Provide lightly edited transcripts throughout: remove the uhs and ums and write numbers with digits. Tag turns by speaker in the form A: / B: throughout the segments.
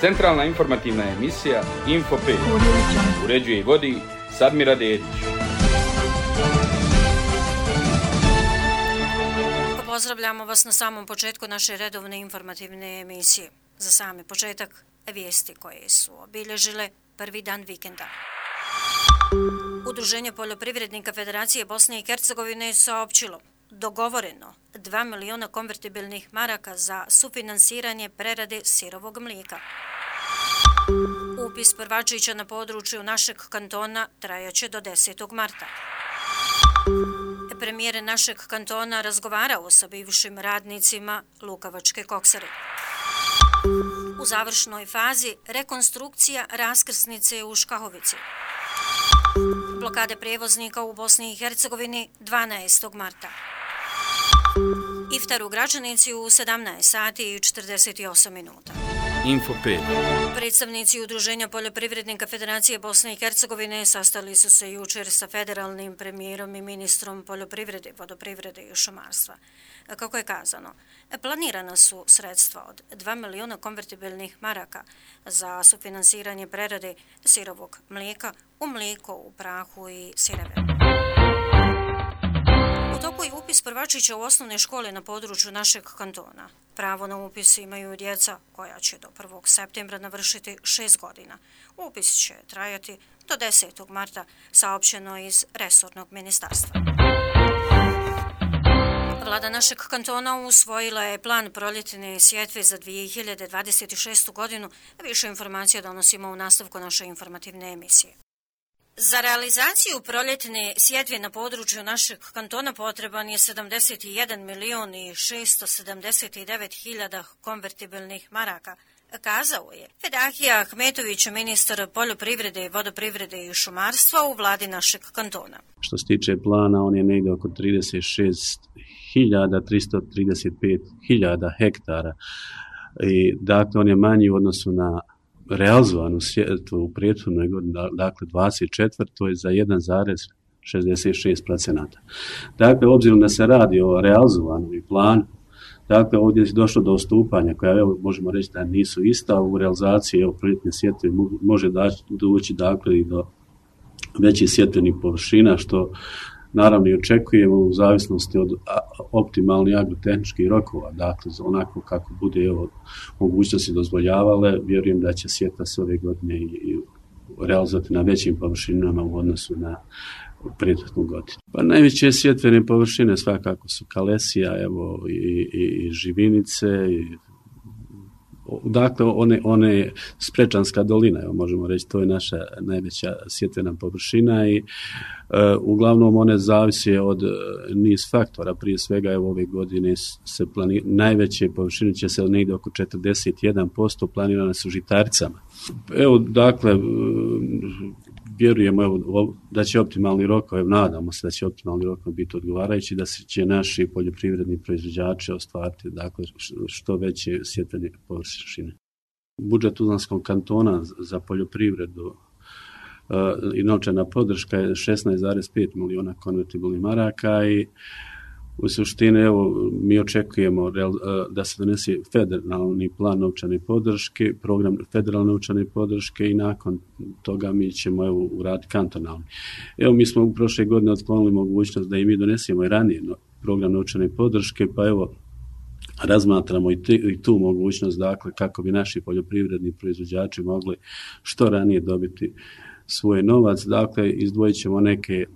A: Centralna informativna emisija Info 5. Uređuje i vodi Sadmira Dedić.
B: Pozdravljamo vas na samom početku naše redovne informativne emisije. Za sami početak vijesti koje su obilježile prvi dan vikenda. Udruženje poljoprivrednika Federacije Bosne i Hercegovine je saopćilo dogovoreno 2 miliona konvertibilnih maraka za sufinansiranje prerade sirovog mlijeka. Upis prvačića na području našeg kantona trajaće do 10. marta. Premijer našeg kantona razgovarao sa bivšim radnicima Lukavačke koksare. U završnoj fazi rekonstrukcija raskrsnice u Škahovici. Blokade prijevoznika u Bosni i Hercegovini 12. marta. Iftar u Gračanici u 17 sati i 48 minuta.
A: Info 5.
B: Predstavnici Udruženja poljoprivrednika Federacije Bosne i Hercegovine sastali su se jučer sa federalnim premijerom i ministrom poljoprivrede, vodoprivrede i šumarstva. Kako je kazano, planirana su sredstva od 2 miliona konvertibilnih maraka za sufinansiranje prerade sirovog mlijeka u mlijeko, u prahu i sireve. U toku je upis prvačića u osnovne škole na području našeg kantona. Pravo na upis imaju djeca koja će do 1. septembra navršiti 6 godina. Upis će trajati do 10. marta, saopćeno iz resornog ministarstva. Vlada našeg kantona usvojila je plan proljetne sjetve za 2026. godinu. Više informacija donosimo u nastavku naše informativne emisije. Za realizaciju proljetne sjetve na području našeg kantona potreban je 71 milion i 679 hiljada konvertibilnih maraka, kazao je Fedahija Ahmetović, ministar poljoprivrede, vodoprivrede i šumarstva u vladi našeg kantona.
C: Što se tiče plana, on je negdje oko 36.335.000 hektara. I dakle, on je manji u odnosu na realizovanu sjetvu u prethodnoj godini, dakle 24. je za 1,66%. Dakle, obzirom da se radi o realizovanom planu, dakle, ovdje je došlo do odstupanja koja, evo, možemo reći da nisu ista u realizaciji proljetne sjetve, može doći dakle i do većih sjetvenih površina, što naravno i očekujemo u zavisnosti od optimalnih agrotehničkih rokova, dakle onako kako bude mogućnosti dozvoljavale, vjerujem da će sjetva se ove godine i realizovati na većim površinama u odnosu na prethodnu godinu. Pa najveće sjetvene površine svakako su Kalesija, evo i Živinice, dakle one Sprečanska dolina, evo možemo reći, to je naša najveća sjetvena površina i uglavnom one zavise od niz faktora, prije svega evo ove godine se najveće površine će se negdje oko 41% planirane su žitaricama. Evo dakle vjerujemo da će optimalni rokovi, nadamo se da će optimalni rokovi biti odgovarajući, da će naši poljoprivredni proizvođači ostvariti dakle što veće sjetvene površine. Budžet Tuzlanskog kantona za poljoprivredu i novčana podrška je 16,5 miliona konvertibilnih maraka i u suštini evo mi očekujemo da se donese federalni plan novčane podrške, program federalne novčane podrške i nakon toga mi ćemo evo uraditi kantonalni. Evo mi smo u prošle godine otklonili mogućnost da i mi donesemo i ranije program novčane podrške, pa evo razmatramo i tu mogućnost, dakle kako bi naši poljoprivredni proizvođači mogli što ranije dobiti svoj novac, dakle izdvojit ćemo neke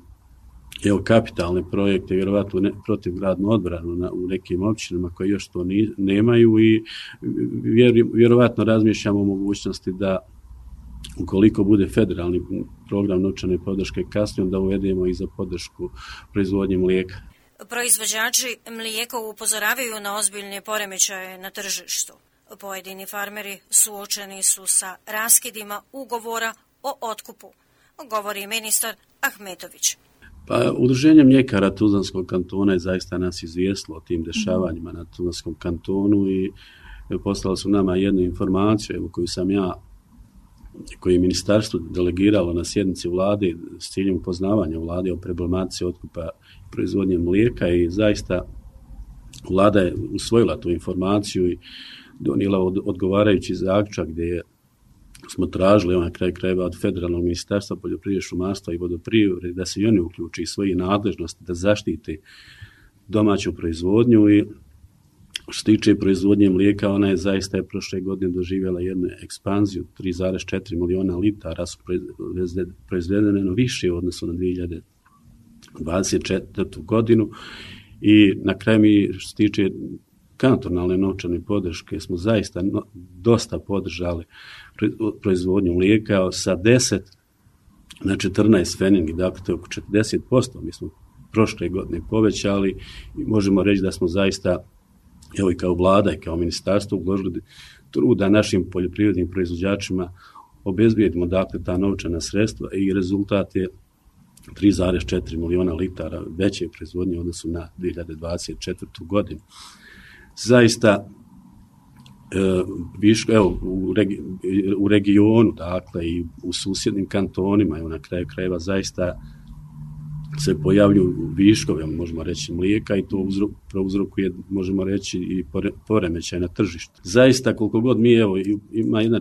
C: kapitalne projekte, vjerovatno protivgradnu odbranu u nekim općinama koje još to nemaju i vjerovatno razmišljamo o mogućnosti da ukoliko bude federalni program novčane podrške kasnije, da uvedemo i za podršku proizvodnje mlijeka.
B: Proizvođači mlijeka upozoravaju na ozbiljne poremećaje na tržištu. Pojedini farmeri suočeni su sa raskidima ugovora o otkupu, govori ministar Ahmetović.
C: Pa, Udruženje mljekara Tuzlanskog kantona je zaista nas izvijestilo o tim dešavanjima na Tuzlanskom kantonu i poslali su nama jednu informaciju koju je ministarstvo delegiralo na sjednici vlade s ciljem upoznavanja vlade o problematici otkupa i proizvodnje mlijeka i zaista vlada je usvojila tu informaciju i donijela odgovarajući zaključak gdje je smo tražili na kraju krajeva od Federalnog ministarstva poljoprivrede, šumarstva i vodoprivrede da se i oni uključi i svoje nadležnosti da zaštiti domaću proizvodnju. I što se tiče proizvodnje mlijeka, ona je zaista prošle godine doživjela jednu ekspanziju, 3,4 miliona litara su proizvedene više u odnosu na 2024. godinu. I na kraju mi, što se tiče kantonalne novčane podrške, smo zaista dosta podržali proizvodnju mlijeka sa 10 na 14 pfenningi, dakle to je oko 40%. Mi smo prošle godine povećali i možemo reći da smo zaista, evo i kao vlada i kao ministarstvo, uložili trud da našim poljoprivrednim proizvođačima obezbijedimo dakle ta novčana sredstva i rezultat je 3,4 miliona litara veće proizvodnje u odnosu na 2024. godinu. Zaista evo, u regionu, dakle i u susjednim kantonima, evo na kraju krajeva zaista se pojavljuju viškovi, možemo reći, mlijeka i to prouzrokuje, možemo reći, i poremećaj na tržištu. Zaista koliko god mi, evo, ima jedna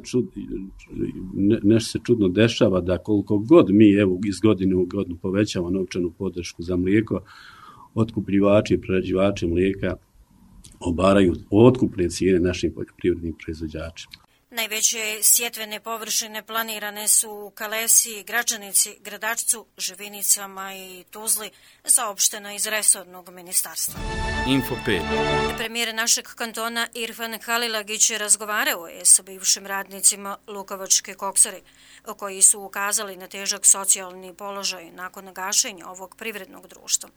C: nešto se čudno dešava, da koliko god mi, evo, iz godine u godinu povećamo novčanu podršku za mlijeko, otkupljivači i prerađivači mlijeka obaraju otkupne cijene našim poljoprivrednim proizvođačima.
B: Najveće sjetvene površine planirane su u Kalesi, Gračanici, Gradačcu, Živinicama i Tuzli, saopšteno iz resornog ministarstva.
A: Info 5.
B: Premijer našeg kantona Irfan Halilagić razgovarao je sa bivšim radnicima Lukovačke koksare, koji su ukazali na težak socijalni položaj nakon gašenja ovog privrednog društva.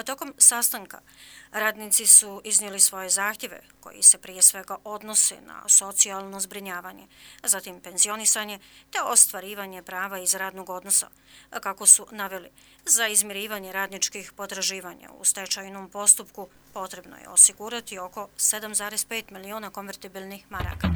B: Tokom sastanka radnici su iznijeli svoje zahtjeve koji se prije svega odnose na socijalno zbrinjavanje, zatim penzionisanje te ostvarivanje prava iz radnog odnosa. Kako su naveli, za izmirivanje radničkih potraživanja u stečajnom postupku potrebno je osigurati oko 7,5 miliona konvertibilnih maraka.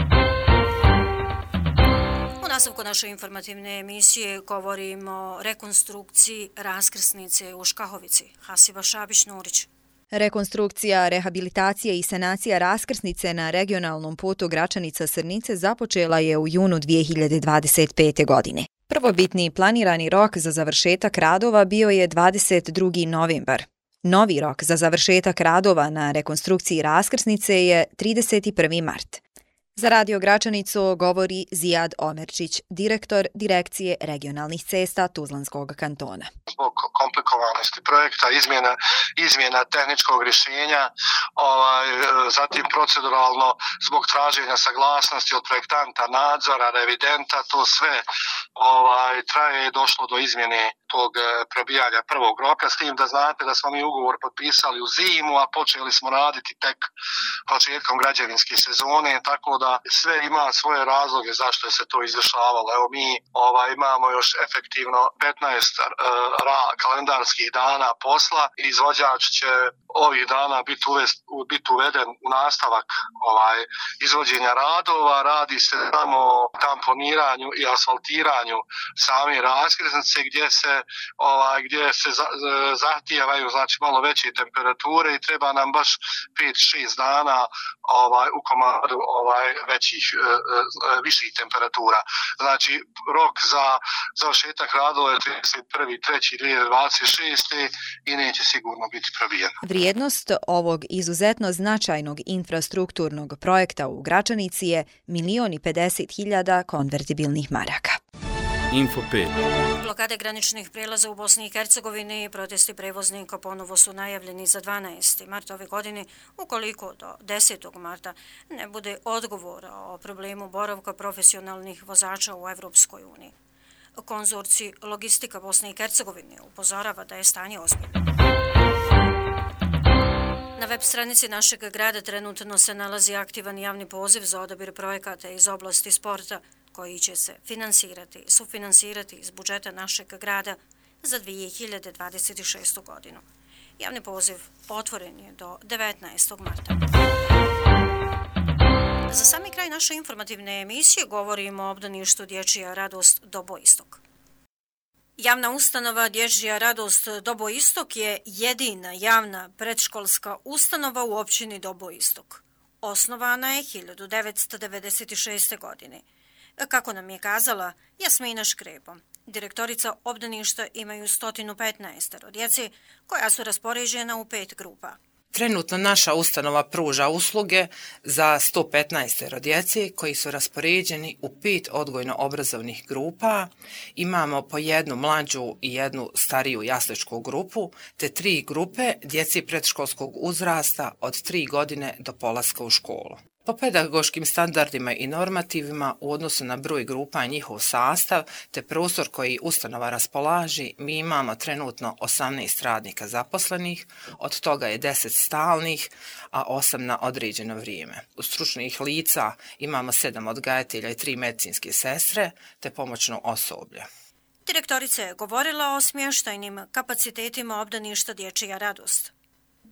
B: U nastavku naše informativne emisije govorimo o rekonstrukciji raskrsnice u Škahovici. Hasiba Šabić-Nurić.
D: Rekonstrukcija, rehabilitacija i sanacija raskrsnice na regionalnom putu Gračanica-Srnice započela je u junu 2025. godine. Prvobitni planirani rok za završetak radova bio je 22. novembar. Novi rok za završetak radova na rekonstrukciji raskrsnice je 31. mart. Za Radio Gračanicu govori Zijad Omerčić, direktor Direkcije regionalnih cesta Tuzlanskog kantona.
E: Zbog komplikovanosti projekta, izmjena tehničkog rješenja, zatim proceduralno zbog traženja saglasnosti od projektanta, nadzora, revidenta, to sve traje i došlo do izmjene tog probijanja prvog roka, s tim da znate da smo mi ugovor potpisali u zimu, a počeli smo raditi tek početkom građevinske sezone, tako da sve ima svoje razloge zašto je se to izdešavalo. Evo mi imamo još efektivno 15 kalendarskih dana posla. Izvođač će ovih dana biti uveden u nastavak izvođenja radova. Radi se samo o tamponiranju i asfaltiranju same raskrsnice gdje se zahtijevaju znači malo veće temperature i treba nam baš 5-6 dana u komadu viših temperatura. Znači rok za završetak radova je 31.3.2026. i neće sigurno biti probijen.
D: Vrijednost ovog izuzetno značajnog infrastrukturnog projekta u Gračanici je 1.050.000 konvertibilnih maraka.
A: Info 5.
B: Blokade graničnih prijelaza u Bosni i Hercegovini i protesti prevoznika ponovo su najavljeni za 12. mart ove godine, ukoliko do 10. marta ne bude odgovora o problemu boravka profesionalnih vozača u Evropskoj uniji. Konzorcij Logistika Bosne i Hercegovine upozorava da je stanje ozbiljno. Na web stranici našeg grada trenutno se nalazi aktivan javni poziv za odabir projekata iz oblasti sporta koji će se sufinansirati iz budžeta našeg grada za 2026. godinu. Javni poziv otvoren je do 19. marta. Za sami kraj naše informativne emisije govorimo o obdaništu Dječja radost Dobo Istok. Javna ustanova Dječja radost Dobo Istok je jedina javna predškolska ustanova u općini Dobo Istok. Osnovana je 1996. godine. Kako nam je kazala Jasmina Škrebo, direktorica obdaništa imaju 115 djece koja su raspoređena u 5 grupa.
F: Trenutno naša ustanova pruža usluge za 115 djece koji su raspoređeni u 5 odgojno-obrazovnih grupa. Imamo po jednu mlađu i jednu stariju jasličku grupu, te 3 grupe djeci predškolskog uzrasta od 3 godine do polaska u školu. Po pedagoškim standardima i normativima u odnosu na broj grupa i njihov sastav te prostor koji ustanova raspolaži, mi imamo trenutno 18 radnika zaposlenih, od toga je 10 stalnih, a 8 na određeno vrijeme. U stručnih lica imamo 7 odgajatelja i 3 medicinske sestre te pomoćno osoblje.
B: Direktorica je govorila o smještajnim kapacitetima obdaništa Dječja radost.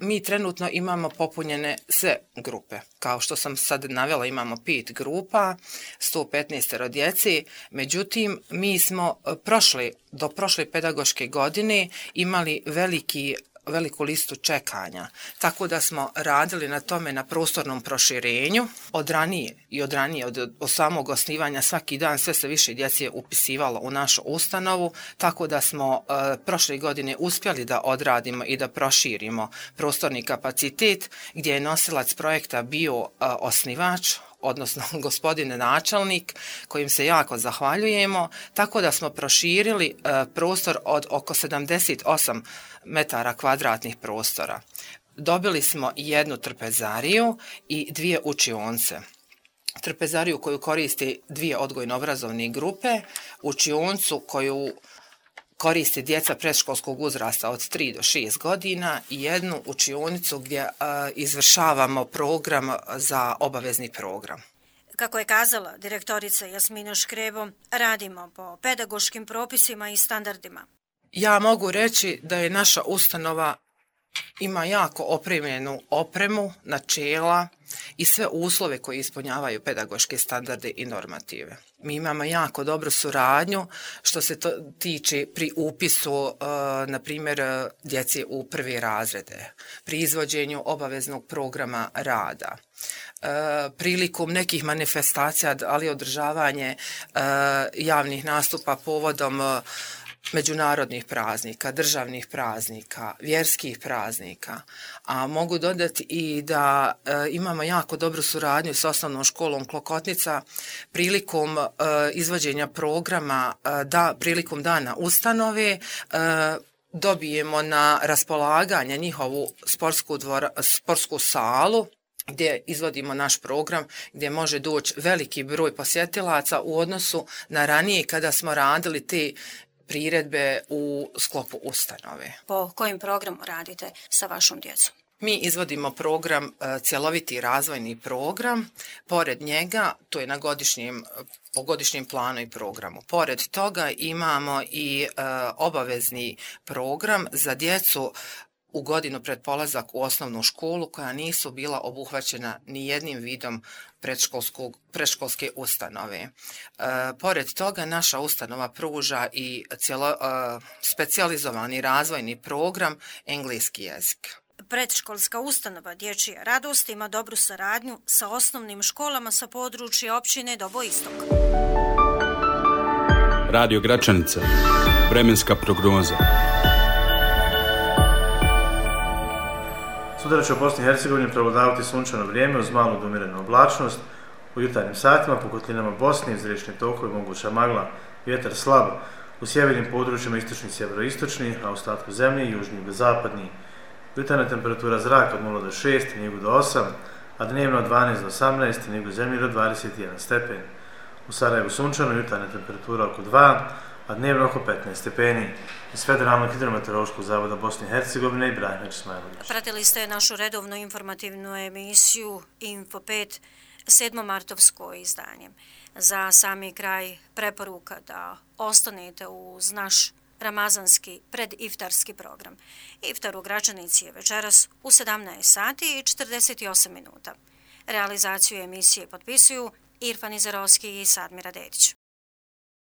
F: Mi trenutno imamo popunjene sve grupe. Kao što sam sad navela, imamo 5 grupa, 115 djeci. Međutim, mi smo do prošle pedagoške godine imali veliku listu čekanja, tako da smo radili na tome na prostornom proširenju od ranije, od samog osnivanja svaki dan sve se više djece upisivalo u našu ustanovu, tako da smo prošle godine uspjeli da odradimo i da proširimo prostorni kapacitet gdje je nosilac projekta bio osnivač, odnosno gospodin načelnik, kojim se jako zahvaljujemo, tako da smo proširili prostor od oko 78 metara kvadratnih prostora. Dobili smo jednu trpezariju i 2 učionce. Trpezariju koju koristi 2 odgojno-obrazovne grupe, učioncu koju koristi djeca predškolskog uzrasta od 3 do 6 godina i jednu učionicu gdje izvršavamo program za obavezni program.
B: Kako je kazala direktorica Jasmina Škrebo, radimo po pedagoškim propisima i standardima.
F: Ja mogu reći da je naša ustanova ima jako opremljenu opremu, načela i sve uslove koji ispunjavaju pedagoške standarde i normative. Mi imamo jako dobru suradnju što se to tiče pri upisu, na primjer, djeci u 1. razrede, pri izvođenju obaveznog programa rada, prilikom nekih manifestacija, ali održavanje javnih nastupa povodom međunarodnih praznika, državnih praznika, vjerskih praznika, a mogu dodati i da imamo jako dobru suradnju s osnovnom školom Klokotnica prilikom izvođenja programa, prilikom dana ustanove, dobijemo na raspolaganje njihovu sportsku salu gdje izvodimo naš program, gdje može doći veliki broj posjetilaca u odnosu na ranije kada smo radili te priredbe u sklopu ustanove. Po
B: kojim programu radite sa vašom djecom?
F: Mi izvodimo program, cjeloviti razvojni program. Pored njega, to je po godišnjem planu i programu. Pored toga imamo i obavezni program za djecu u godinu pred polazak u osnovnu školu koja nisu bila obuhvaćena ni jednim vidom predškolske ustanove. Pored toga naša ustanova pruža i specijalizovani razvojni program engleski jezik.
B: Predškolska ustanova Dječja radost ima dobru saradnju sa osnovnim školama sa područja općine Dobo Istok.
A: Radio Gračanica. Vremenska prognoza.
G: Sutra će u Bosni i Hercegovini prevladavati sunčano vrijeme uz malu do umjerenu oblačnost. U jutarnjim satima po kotlinama Bosne iz riječne tokove moguća magla, vjetar slab, u sjevernim područjima istočni i sjeveroistočni, a u ostatku zemlje južni i zapadni. Jutarnja temperatura zraka od 0 do 6, Nigu do 8, a dnevno od 12 do 18, Nigu zemlje do 21 stepen. U Sarajevu sunčano, jutarnja temperatura oko 2, a dnevno oko 15 stepeni. Iz Federalnog hidrometeorološkog zavoda Bosne i Hercegovine i Ibrahim Ismailović.
B: Pratili ste našu redovnu informativnu emisiju Info 5, 7. martovsko izdanje. Za sami kraj preporuka da ostanete uz naš ramazanski prediftarski program. Iftar u Gračanici je večeras u 17 sati i 48 minuta. Realizaciju emisije potpisuju Irfan Izarovski i Sadmira Dedić.